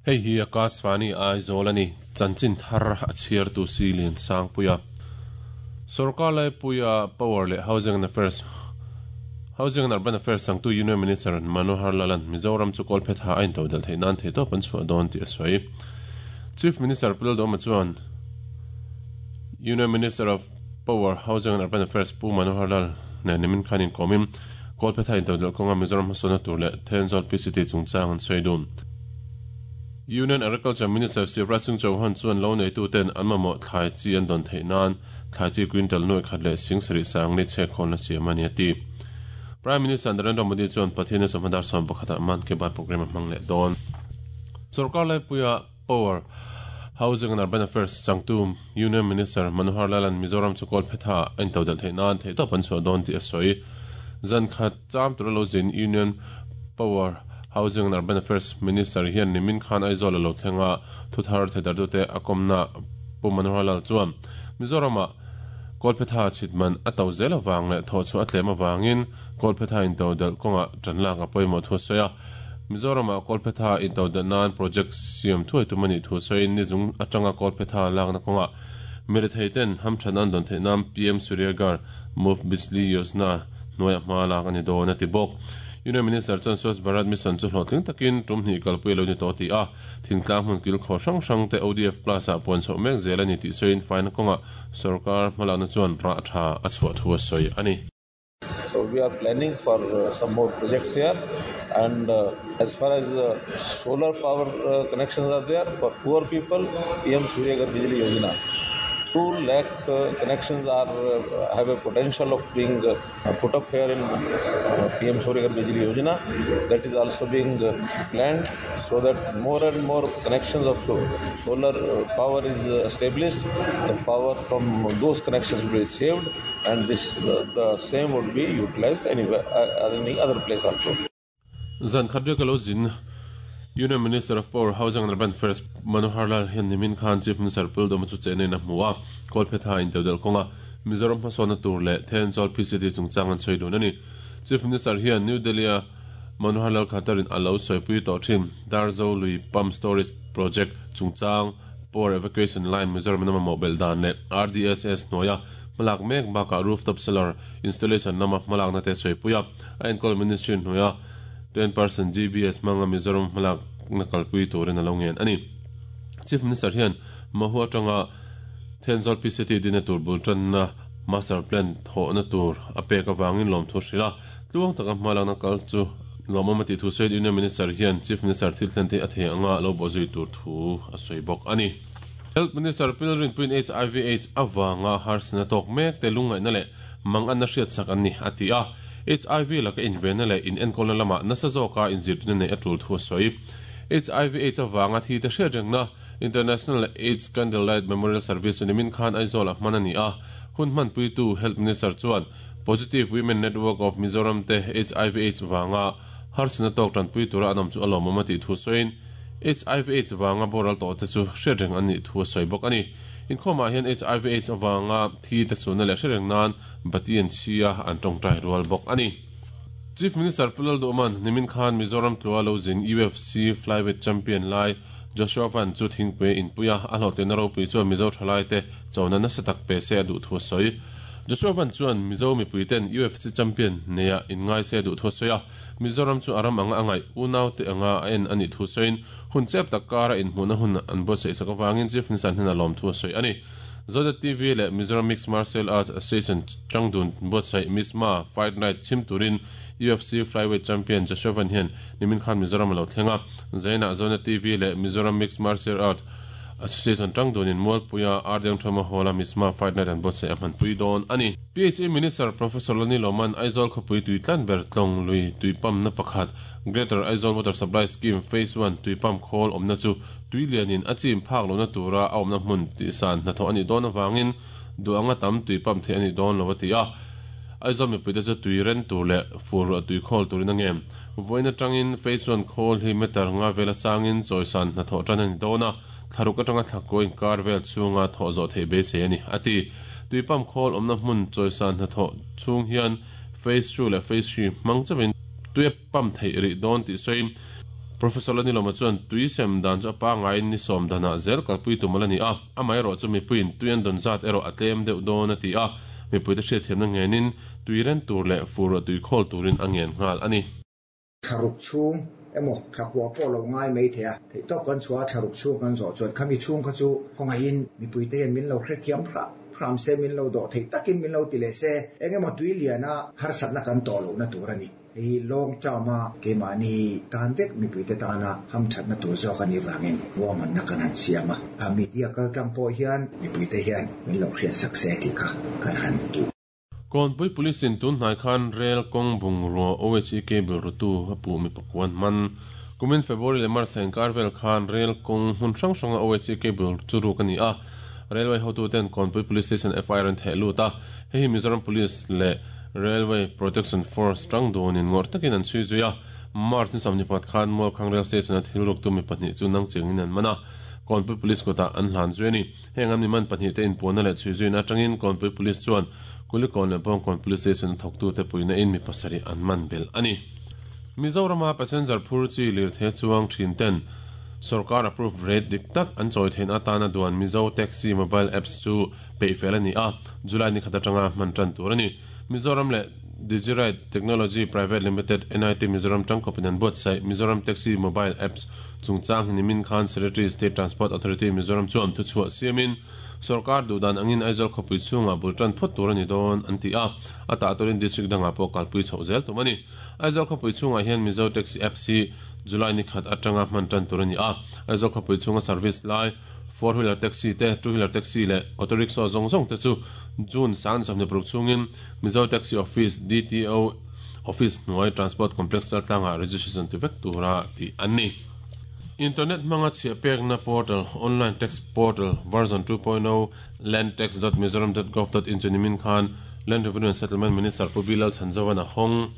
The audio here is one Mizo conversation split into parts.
Hei hi Akashvani Aizawl a ni, chanchin thar a chhiartu si Lian Sangpuia. Sorkar laipuia Power leh Housing and Affairs Housing and Urban Affairs changtu Union Minister Manohar Lal-a'n Mizoram chu kawlphetha a intodelh theih nan theihtawp an chhuah dawn tih a sawi. Chief Minister Pu Lalduhoma chuan Union Minister of Power, Housing and Urban Affairs Pu Manohar Lal nen nimin khan inkawmin kawlphetha intodelh kawnga Mizoram hmasawnna tur leh Thenzawl PCT chungchang an sawi dun. Union Agriculture Minister Shivraj Singh Chauhan chuan lo neituten an mamawh thlai chi an dawn theih nan thlai chi quintal nuai khat leh sing sarih sangli chhek khawnna siam a ni a ti. Prime Minister Narendra Modi chuan Pathian-a chawhma dar sawm pakhatah Mann Ki Baat programme a hmang leh dawn. Sorkar laipuia Power, Housing and Urban Affairs changtu Union Minister Manohar Lal-a'n Mizoram chu kawlphetha a intodelh theih nan theihtawp an chhuah dawn tih a sawi. Zan khat cham tura lo zin Union Power, Housing and Urban Affairs Minister hian nimin khan Aizawl a lo thleng a, thuthar theidartute a kawmna Pu Manohar Lal chuan Mizoramah kawlphetha chhit man a to zel avang leh thawhchhuah a tlem avangin kawlphetha intodelh kawngah tan lak a pawimawh thu a sawi a. Mizoramah kawlphetha intodelh nan project siam thuai tum a nih thu sawiin nizung atanga kawlphetha lakna kawngah mirethei ten hamthatna an dawn theih nan PM Suryaghar Muft Bijli Yojana hnuaiah hma lak a ni dawn a ti bawk. Union Minister chuan Swachh Bharat Mission chu hlawhtling takin tum hnih kalpui a lo ni tawh tih a, thingtlang hmun kilkhawr hrang hrang te ODF Plus ah puan chhoh mek zel a ni tih sawiin faina kawngah sorkar hmalakna chuan rah tha a chhuah thu a sawi a ni. So we are planning for some more projects here and as far as solar power connections are there for poor people, PM Suryaghar Bijli Yojana. 2 lakh connections are have a potential of being put up here in PM Suryaghar Bijli Yojana. That is also being planned so that more and more connections of solar power is established. The power from those connections will be saved and this the same would be utilized anywhere, any other place also. Zan khat riak a lo zin Union Minister of Power, Housing and Urban Affairs Manohar Lal hian nimin khan Chief Minister Pu Lalduhoma chu chehna in a hmu a, Kawlphetha intodelh kawnga Mizoram hmasawnna tur leh Thenzawl PCT chungchang an sawi dun a ni. Chief Minister hian New Delhi-a Manohar Lal Khattar-in a lo sawipui tawh thin Darzo lui Pump Storage Project chungchang Power Evacuation Line Mizoram-in a mamawh belh dan leh RDSS hnuaia hmalak mek bakah Rooftop Solar Installation lama hmalakna te sawipui a, a enkawl Ministry hnuaia 10% GBS hmanga Mizoram hmalakna kalpui turin a lo ngen a ni. Chief Minister hian Mahu atanga Thenzawl PCT dina tur bul tanna Master Plan thawhna tur a pek avangin lawmthu hrilh a, tluang taka hmalakna kal chu lawmawm a tih thu sawiin Union Minister hian Chief Minister thil thlen te a thei anga lo bawhzui tur thu a sawi bawk a ni. Health Minister Pil Rinpuiin HIV Aids avanga harsatna tawk mek te lungngaihna leh manganna hriatsak an ni a ti a, HIV laka invenna leh inenkawlna lamah nasa zawka inzirtirna neih a tul thu a sawi. HIV Aids avanga thi te hriatrengna International Aids Candlelight Memorial Service chu nimin khan Aizawl-ah hman a ni a, hun hmanpuitu Health Minister chuan Positive Women Network of Mizoram te HIV Aids vanga harsatna tawk tanpui tura an awm chu a lawmawm a tih thu sawiin HIV Aids vanga boral tawh te chu hriatreng an nih thu a sawi bawk a ni. Inkhawmah hian HIV Aids avanga thi te sunna leh hriatreng nan bati an chhi a, an tawngtai rual bawk a ni. Chief Minister Pu Lalduhman nimin khan Mizoram tlua lo zin UFC Flyweight Champion lai Joshua Van chu thingpui a inpui a, a hlawhtlinna ropui chuan Mizo thalaite chona nasa tak pe se a duh thu a sawi. Joshua Van chuan Mizo mipuiten UFC champion neia inngai se a duh thu a sawi a, Mizoram chu a ram anga a ngaih unaute anga a en a nih thu sawiin hun chep tak kara inhmuhna hun an buatsaih sak avangin Chief Minister hnena lawm thu a sawi a ni. Zonet TV leh Mizoram Mixed Martial Arts Association changdun buatsaih Misma Fight Night chhim turin UFC Flyweight Champion Joshua Van hian nimin khan Mizoram a lo thleng a. Zainah Zonet TV leh Mizoram Mixed Martial Arts Association changdunin Mualpuia Ardiang Thawma Hall-a Misma Fight Night an buatsaih a hmanpui dawn a ni. PHE Minister Professor Lani Lawman Aizawl khawpui tui tlan ber tlawng lui tui pump na pakhat Greater Aizawl Water Supply Scheme Phase One tui pump khawl awmna chu tui lianin a chim phak lohna tura a awmna hmun tihsan hnathawh a nih dawn avangin duh anga tam tui pump theih a nih dawn lo a ti a. Aizawl mipuite chu tui ren tur leh fur ruah tui khawl turin a ngem. Vawiin atangin Phase One khawl hi meter nga vela sangin chawisan hnathawh tan a ni dawn a, thlaruk atanga thlakkaw inkar vel chhunga thawh zawh theih beisei a ni, a ti. Tui pump khawl awmna hmun chawisan hnathawh chhung hian Phase 2 leh Phase 3 hmang chauhin tui a pump theih rih dawn tih sawiin Professor Lalnilawma chuan tui sem dan chu a pangaiin ni sawm danah zel kalpui tum ala ni a, amaherawh chu mipuiin tui an dawn zat erawh a tlem deuh dawn a ti a, mipuite hriatthiamna ngenin tui ren tur leh fur tui khawl turin a ngen nghal a ni. Thlaruk chhung emaw thlakua pawh lo ngai mai thei a, theihtawp kan chhuah a thlaruk chhung kan zawh chuan khami chhung kha chu khawngaihin mipuite hian min lo hrethiam hram hram se, min lo dawh theih takin min lo ti leh se, eng emaw tui liana harsatna kan tawh lohna tur a ni. Hei hi long term-a keimahni tan vek mipuite tana hamthatna tur zawk a nih vangin ruahmanna kan han siam a, media kaltlang pawh hian mipuite hian min lo hriatsak se tih kha kan han duh. Kawnpui Police in tun hnai khan rel kawng bungrua OHE cable rutu a puh mi pakuan hman. Kumin February leh March a inkar vel khan rel kawng hmun hrang hranga OHE cable chu ruk a ni a, Railway hotuten Kawnpui Police Station FIR an theh lut a, hei hi Mizoram Police leh Railway Protection Force tang dunin ngawrh takin an chhui zui a. March ni 24 khan Mualkhang Rail Station a thil ruktu mi pahnih chu nang chengin an man a, Kawnpui Police kutah an hlan zui a ni. Heng an miman pahnihte inpuanna leh chhui zuina atangin Kawnpui Police chuan Kulikawn leh Bawngkawn Police Station a thawktute puihna in mi pasarih an man belh a ni. Mizorama passenger phur chi lirthei chuang thin ten sorkar approve rate dik tak an chawi theihna atana duan Mizo Taxi Mobile Apps chu peih fel a ni a, July ni khat atanga hman tan tur a ni. Mizoram leh Digiride Technology Private Limited, NIT Mizoram tangkawpin an buatsaih Mizoram Taxi Mobile Apps chungchang hi nimin khan Secretary State Transport Authority Mizoram chuan thuchhuah siamin sorkar duhdan angin Aizawl khawpui chhungah bul tan phawt tur a ni dawn an ti a, a tah turin district dangah pawh kalpui chhoh zel tum a ni. Aizawl khawpui chhungah hian Mizo Taxi Apps hi July ni khat atanga hman tan tur a ni a, Aizawl khawpui chhunga service lai Four wheeler taxi te, two wheeler taxi leh auto rickshaw zawng zawng te chu June 2026 chhungin Mizo Taxi Office, DTO, Office hnuai Transport Complex Chaltlangah registration ti vek tura tih an ni. Internet hmanga chhiah pekna portal, Online Tax Portal version 2.0, landtax.mizoram.gov.in chu nimin khan Land Revenue and Settlement Minister Pu Bilal Chhanzovan a hawng.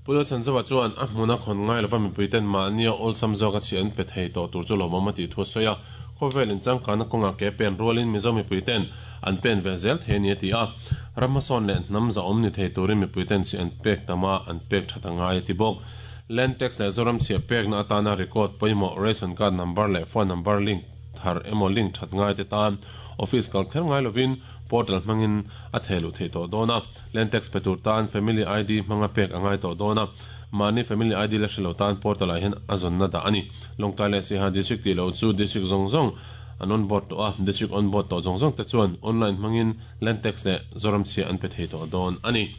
Pu Lalchhanzova chuan a hmuna khawn ngai lova mipuiten mahnia awlsam zawka chhiah an pe thei tawh tur chu lawmawm a tih thu a sawi a, khawvel inchangkanna kawngah ke pen rualin Mizo mipuiten an pen ve zel thei a ni a ti a, ram hmasawn leh hnam zahawm ni thei turin mipuiten chhiah an pek tam a, an pek that a ngai a ti bawk. Land tax leh Zoram chhiah pekna atana record pawimawh ration card number leh phone number link thar emaw link that ngai te tan office kal kher ngai lovin portal hmangin a theh luh theih tawh dawn a. Land tax pe tur tan Family ID hmanga pek a ngai tawh dawn a, mahni Family ID la hre lo tan portal ah hian a zawnna dah a ni. Lawngtlai leh Siaha District tih loh chu District zawng zawng an on board tawh a, District on board tawh zawng zawng te chuan online hmangin Land tax leh Zoram chhia an pe thei tawh dawn a ni.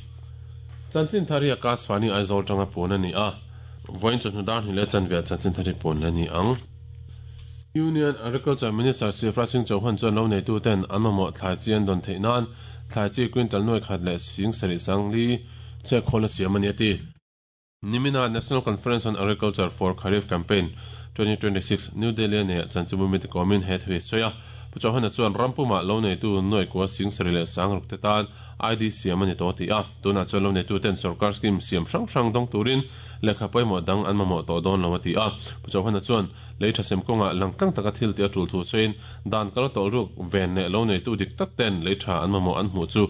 Chanchin thar hi Akashvani Aizawl tanga puan a ni a, vawiin chawhnu dar hnih leh chanve ah chanchin thar hi puan la ni ang. Union Agriculture Minister Shivraj Singh Chauhan chuan lo neituten an mamawh thlai chi an dawn theih nan thlai chi quintal nuai khat leh sing sarih sang li chhiat khawlna siam a ni a ti. Nimina National Conference on Agriculture for Kharif Campaign 2026 New Delhi-a neiah chanchinbu mite kawmin he thu hi a sawi a. Pu Chauhan-a chuan ram pumah lo neitu nuai kua sing sarih leh sang ruk te tan ID siam a ni tawh a ti a, tunah chuan lo neituten sorkar scheme siam hrang hrang dawng turin lehkha pawimawh dang an mamawh tawh dawn lo a ti a. Pu Chauhana chuan lei tha sem kawngah langtlang taka thil tih a tul thu sawiin dan kal tawlh ruk ven leh lo neitu dik tak ten lei tha an mamawh an hmuh chu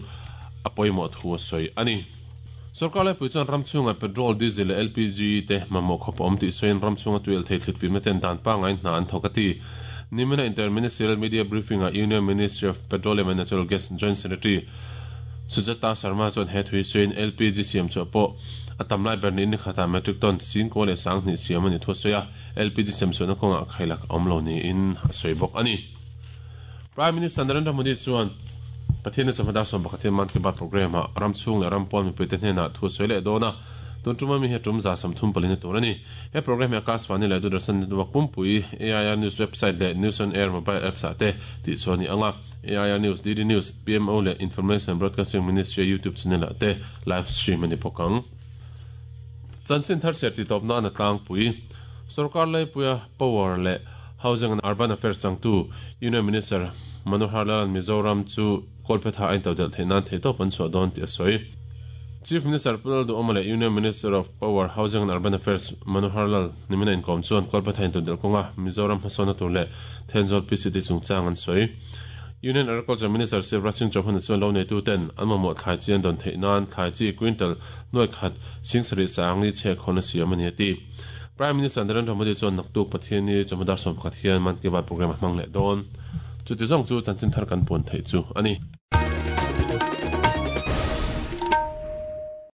a pawimawh thu a sawi a ni. Sorkar laipui chuan ram chhungah petrol, diesel leh LPG te mamawh khawp a awm tih sawiin ram chhunga tuialh thei thlit fimna ten dan pangngai hna an thawk a ti. Nimina Inter-Ministerial Media Briefing-ah Union Ministry of Petroleum and Natural Gas Joint Secretary Sujata Sharma chuan he thui sawiin LPG siam chhuah pawh a tam lai ber niin ni khatah metric ton singkaw leh sanghnih siam a ni thu a sawi a, LPG siam chhuahna kawngah khailak a awm lo niin a sawi bawk a ni. Prime Minister Narendra Modi chuan Pathianni chawhma dar 11 Mann Ki Baat programme-ah ram chhung leh ram pawn mipuite hnenah thu a sawi leh dawn a, tun tuma mi hi a tum 34 na tur a ni. He programme hi Akashvani leh Doordarshan Network pumpui, AIR News website leh News on Air mobile apps-ah te tihchhuah a ni ang a, AIR News, DD News, PMO leh Information and Broadcasting Ministry-a YouTube channel-ah te live stream a ni bawk ang. Chanchin thar chhiar tihtawp nan a tlangpui. Sorkar laipuia Power leh Housing and Urban Affairs changtu Union Minister Manohar Lal Mizoram chu Kawlphetha a intodelh theih nan theihtawp an chhuah dawn tih a sawi. Chief Minister Pu Lalduhawma leh Union Minister of Power, Housing and Urban Affairs Manohar Lal nimina inkawm chuan Kawlphetha intodelh kawnga Mizoram hmasawnna tur leh Thenzawl PCT chungchang an sawi. Union Agriculture Minister Shivraj Singh Chauhan chuan lo neituten an mamawh thlai chi an dawn theih nan thlai chi quintal nuai khat 76 chhe khawn a siam a ni a ti. Prime Minister Narendra Modi chuan naktuk Pathianni chawhma dar 11 hian Mann Ki Baat programme a hmang leh dawn. Chuti zawng chu chanchin thar kan puan theih chu a ni.